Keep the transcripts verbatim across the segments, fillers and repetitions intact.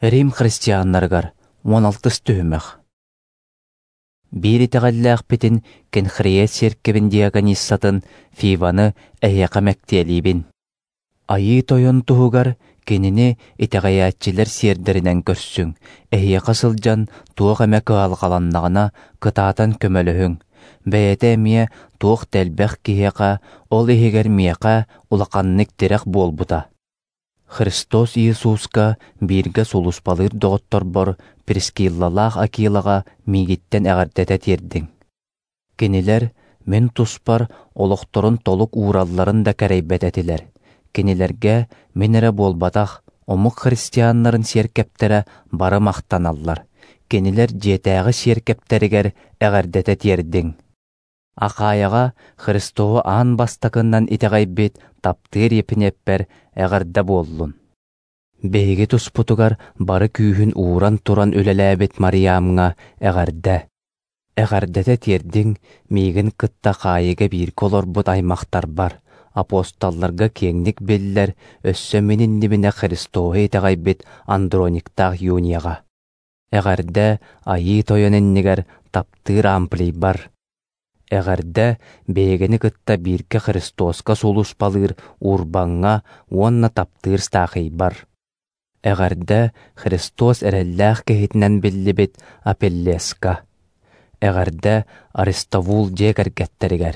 Рим христианнарыгар уон алтыс түһүмэх. Биир итэҕэллээхпитин Кенхрия сиэркэбин диакониссатын Фиваны эһиэхэ мэктиэлиибин. Айыы Тойон туһугар кинини итэҕэйээччилэр сиэрдэринэн көрсүҥ, эһиэхэ сылдьан туох эмэ кыһалҕаланнаҕына кытаатан көмөлөһүҥ. Бэйэтэ эмиэ туох да элбэх киһиэхэ, ол иһигэр миэхэ, улаханнык тирэх буолбута. Христос Иисуска бииргэ сулууспалыыр доҕотторбор Прискиллалаах Акилаҕа миигиттэн эҕэрдэтэ тиэрдиҥ. Кинилэр мин туспар олохторун толук ууралларын да кэрэйбэт этилэр. Кинилэргэ мин эрэ буолбатах, омук христианнарын сиэркэптэрэ бары махтаналлар. Кинилэр дьиэтээҕи сиэркэптэригэр эҕэрдэтэ тиэрдиҥ. Ахайаҕа Христоһу аан бастакынан итэҕэйбит таптыыр Епинеппэр эҕэрдэ буоллун. Биһиги туспутугар бары күүһүн ууран туран үлэлээбит Мариамҥа эҕэрдэ. Эҕэрдэтэ тиэрдиҥ миигин кытта хаайыыга бииргэ олорбут аймахтарбар, апостолларга киэҥник биллэр, өссө мин иннибинэ Христоһу итэҕэйбит Андрониктаах Юнияҕа. Эҕэрдэ Айыы Тойон иннигэр таптыыр Амплийбар. Эҕэрдэ биһигини кытта бииргэ Христоска сулууспалыыр Урбаҥҥа уонна таптыыр Стахийбар. Эҕэрдэ Христос эрэллээх киһитинэн биллибит Апеллеска. Эҕэрдэ Аристовул дьиэ кэргэттэригэр.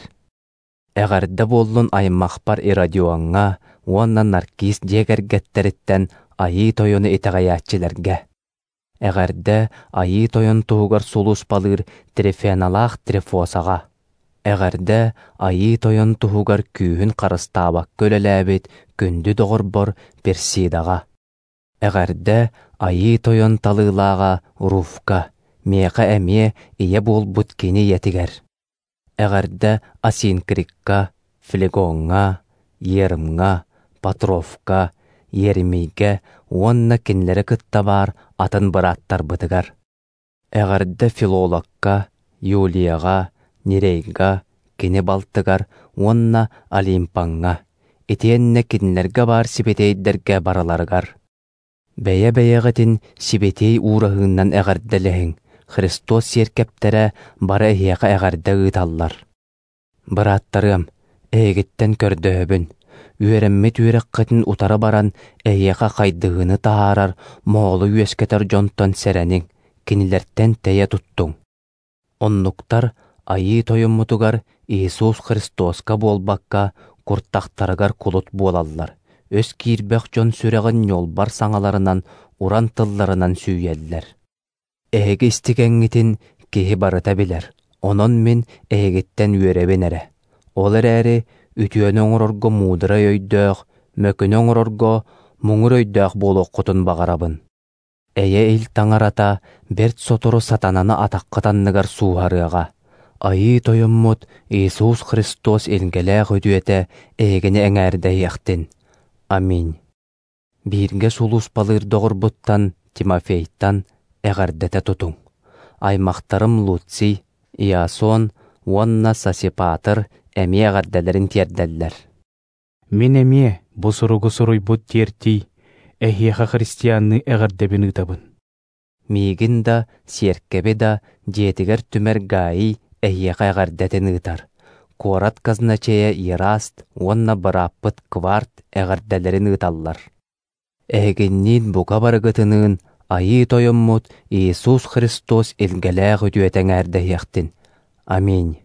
Эҕэрдэ буоллун аймахпар Иродиоҥҥа уонна Наркис дьиэ кэргэттэриттэн Айыы Тойону итэҕэйээччилэргэ. Эҕэрдэ Айыы Тойон туһугар сулууспалыыр Трифеналаах Трифосаҕа. Эҕэрдэ Айыы Тойон туһугар күүһүн харыстаабакка үлэлээбит күндү доҕорбор Персидаҕа. Эҕэрдэ Айыы Тойон талыылааҕа Руфка, миэхэ эмиэ ийэ буолбут кини ийэтигэр. Эҕэрдэ Асинкрикка, Флегоҥҥа, Ерымҥа, Патровка, Еремийгэ уонна кинилэри кытта баар атын бырааттарбытыгар. Эҕэрдэ Филологка, Юлияҕа, Нерейга, кини балтыгар уонна Олимпаҥҥа, итиэннэ кинилэргэ баар сибэтиэйдэргэ барыларыгар. Бэйэ-бэйэҕитин сибэтиэй уураһыынан эҕэрдэлэһиҥ, Христос сиэркэптэрэ бары эһиэхэ эҕэрдэ ыыталлар. Бырааттарыам, эһигиттэн көрдөһөбүн, үөрэммит үөрэххитин утары баран эһиэхэ хайдыһыыны таһаарар моһолу үөскэтэр дьонтон сэрэниҥ, кинилэртэн тэйэ туттуҥ. Оннуктар Айыы Тойоммутугар Иисус Христоска буолбакка куртахтарыгар кулут буолаллар, өс киирбэх дьон сүрэҕин ньуолбар саҥаларынан, уран тылларынан сүүйэллэр. Эһиги истигэҥҥитин киһи барыта билэр, онон мин эһигиттэн үөрэбин эрэ. Ол эрээри үтүөнү оҥорорго муударай өйдөөх, мөкүнү оҥорорго муҥур өйдөөх буолуоххутун баҕарабын. Эйэ ил таҥарата бэрт сотору сатананы атаххыт анныгар сууһарыаҕа. Айыы Тойоммут Иисус Христос илгэлээх үтүөтэ эһигини эҥээрдэһиэхтин. Аминь. Бииргэ сулууспалыыр доҕорбуттан Тимофейтан эҕэрдэтэ тутуҥ. Аймахтарым Луций, Иасон уонна Сосипатр эмиэ эҕэрдэлэрин тиэрдэллэр. Мин эмиэ бу суругу суруйбут тиэртий, эһиэхэ христианныы эҕэрдэбин ыытабын. Миигин да, сиэркэби да дьиэтигэр түмэр Гаий эһиэхэ эҕэрдэтин ыытар. Куорат казначейа Ераст уонна бырааппыт Кварт эҕэрдэлэрин ыыталлар. Эһигинниин бука барыгытыныын Айыы Тойоммут Иисус Христос илгэлээх үтүөтэ эҥээрдэһиэхтин. Аминь.